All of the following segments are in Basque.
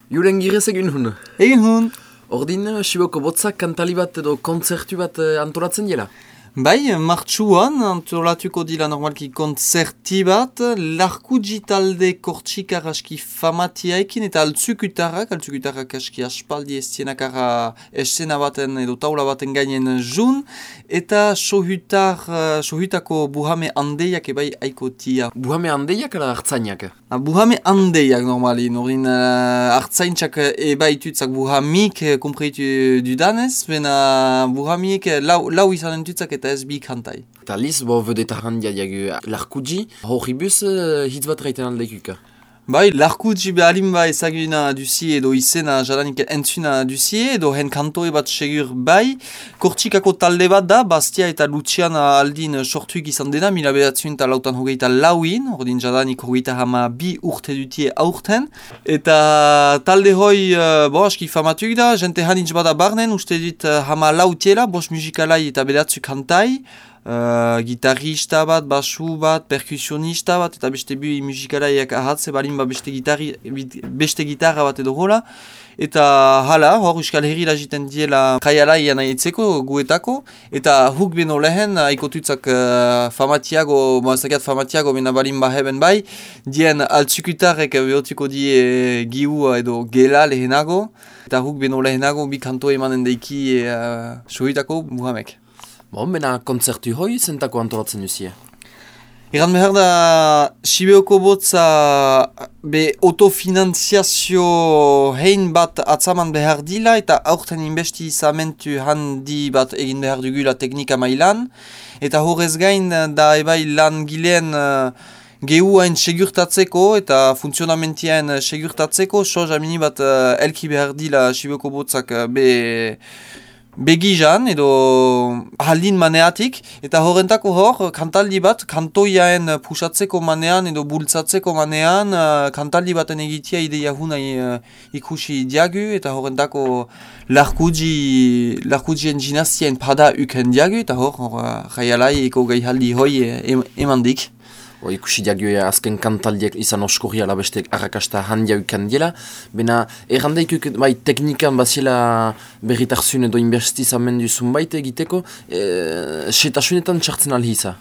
Julen girez egin hun. Egin hun. Ordin, Siboko botzak kantali bat edo kontzertu bat antolatzen dela? Bai, martxuan antolatuko dila normalki kontzerti bat, Larkudji talde kortxikar aski famatiaikin eta altzukutarrak aski aspaldi estienakara esena baten edo taula baten gainen jun, eta sohutako buhame handeiak ebai aikotia. Buhame handeiak ala hartzainak? Buhame handeiak normali, norin hartzaintzak ebaitutzak buhamik kompreitu dudanez, bena buhamik lau izanen tutzak eta ez bi kantai. Eta liz, vedeta handia diagu Larkudji, horribus hitz bat raiten aldekuka. Bai, Larkudji behalin ba ezaguna duzie edo izena jadanik entzuna duzie edo hen kantoe bat segur bai. Kortxikako talde bat da, Bastia eta Luciana aldin sortuik izan dena, 1984 ordin jadanik hogeita hama bi urte dutie aurten. Eta talde hoi, aski famatuk da, jente hanitz bada barnen, uste dit hama lautiela, bos musikalai eta bedatzu kantai. Gitarrista bat, basu bat, perkusionista bat, eta beste bi musikalaiak ahatze balin beste gitarra bat edo hola. Eta hala, hor Euskal Herri jiten diela kaialaian aietzeko guetako, eta huk beno lehen, aikotutzak famatiago, bena balin baheben bai, dien altzukutarrek behotuko die giu edo gela lehenago, eta huk beno lehenago bi kanto emanen deiki sohitako buhamek. Bena kontzertu hoi zentako antolatzen duzie? Egan behar da, Sibeoko botza autofinanziazio hein bat atzaman behar dila eta aurten inbesti izamentu handi bat egin behar dugula teknika mailan. Eta horrez gain da ebai lan gileen gehuain segurtatzeko eta funtzionamentiaen segurtatzeko soz amini bat elki behar dila Sibeoko botzak begizan edo haldin maneatik, eta horrentako hor, kantaldi bat, kantoiaen pusatzeko manean edo bultzatzeko manean, kantaldi baten egitea ideia hunai ikusi diagu, eta horrentako Larkudjien dinastien pada uken diagu, eta hor, jaialai eko gaihaldi hoi emandik. Ikusi diagu azken kantaldiek izan oskorri ala beste arrakasta handia ukan diela. Bena errandaikuk bai teknikan bazila berritarzun edo inbestizamendu zunbait egiteko, setasunetan txartzen alhiza?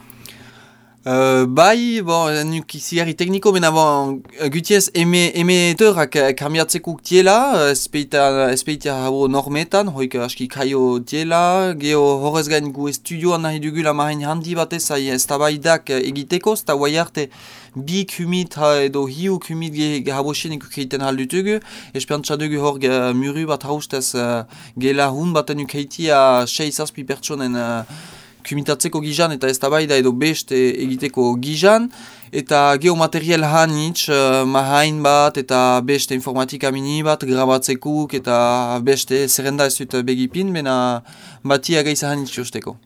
Bai, nuk izigarri tekniko, bena gutiez emeterak kambiatzeko diela, espeitea habo normetan, hoik aski kaio diela, geho horrez gain gu estudioan nahi dugula mahain handi batez ez tabaidak egiteko, eta guai arte bi kumit edo hiu kumit habosienik ukeiten haldutugu, esperantza dugu hor muru bat haustez gela hun baten ukeitia 6-7 pertsonen kumitatzeko gizan eta ez tabaida edo beste egiteko gizan, eta geomaterial hanitz, mahain bat eta beste informatika mini bat grabatzekuk eta beste zerrenda ez dut begipin, bena batia gaiza hanitz josteko.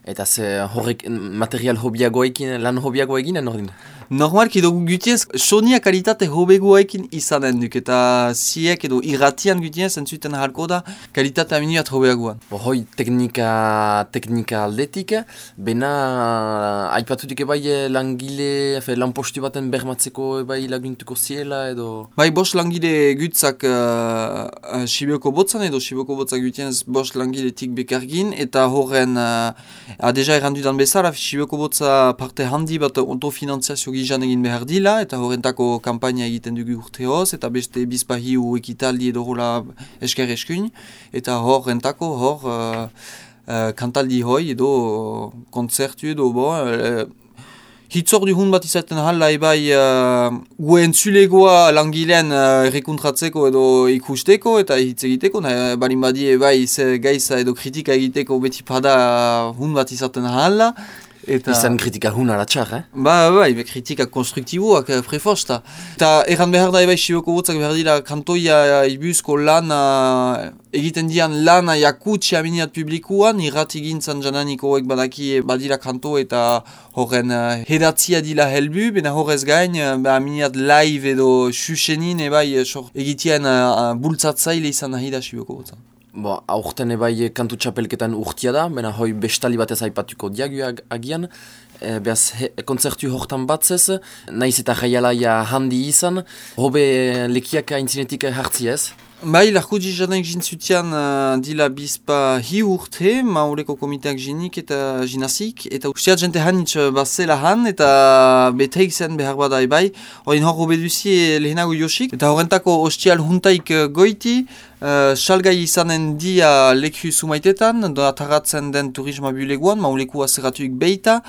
Eta ze horrek material hobiagoekin, lan hobiagoekin ordin? Normalki edo gutiez, sonia kalitate hobegoekin izanen duk, eta ziek edo irratian gutiez entzuten halko da kalitate aminiat hobeagoan. Hoi teknika aldetik, bena aipatutik ebai langile, lanpostu baten bermatzeko ebai laguntuko ziela edo? Bai, bos langile gutzak Sibeoko botzan edo Sibeoko botzak gutiez bos langiletik bekargin, eta horren deja errandudan bezala, Sibeoko botza parte handi bat autofinanziazio gizan egin behar dila, eta horrentako kampaina egiten dugu urteoz, eta beste bizpahiu ekitaldi edo hola esker eskuin, eta horrentako kantaldi hoi edo kontzertu edo hitzor duhun bat izaten hala ebai gue entzulegoa langilean rekuntratzeko edo ikusteko eta hitz egiteko, balin badi ebai gaiza edo kritika egiteko beti pada hun bat izaten hala. Izan kritika hun alatxar, Bai, kritika konstruktiboak prefosta. Eta erran behar da ebai Sibeoko botzak behar dira kantoia ibuzko lana, egiten dian lana jakutsi aminiat publikuan, irrati gintzan jananiko hoek badaki badira kanto eta horren hedatzia dila helbu, bena horrez gain aminiat live edo xuxenin ebai egitean bultzatzaile izan nahi da Sibeoko botzak. Aurten ebai kantu txapelketan urtia da, bena hoi bestali batez aipatuko diagu agian. behaz kontzertu hortan batzez, naiz eta jaialaia handi izan, hobe lekiak aintzinetik hartziez? Bai, larko dizanek jintzutian dila bizpa hi urte, maureko komiteak jinik eta jinazik, eta usteat jente hanitz bazela han, eta beteik zen behar badai bai, horien hor obeduzie lehenago josik, eta horrentako ostial huntaik goiti, salgai izanen dia leku sumaitetan, ataratzen den turisma buleguan, mauleku azeratuik beita,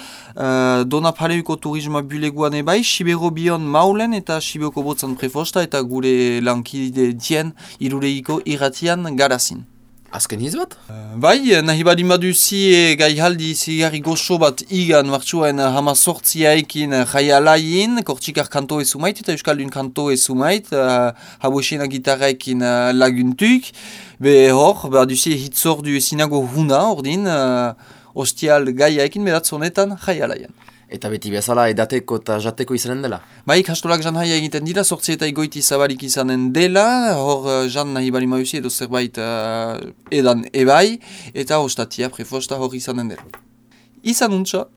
dona paleuko turisma buleguan ebai, Sibero bion maulen eta Siberoko botzan prefosta, eta gure lankide dien irureiko irratian garazin. Azken hiz bat? Bai, nahi badi maduzi gaihaldi zigarri goxo bat igan martxuen hamazortziaekin jaialaien, kortxikar kanto ezumait eta euskaldun kanto ezumait, haboesena gitarraekin laguntuk. Be hor, baduzi hitzordu ezinago huna ordin, ostial gaiaekin beratz honetan jaialaien. Eta beti bezala edateko eta jateko izanen dela? Bai, kastolak jan haia egiten dira, sortzi eta igoiti zabalik izanen dela, hor jan nahi bali mauzi edo zerbait edan ebai, eta ostatia prefosta hor izanen dela. Izan untsa!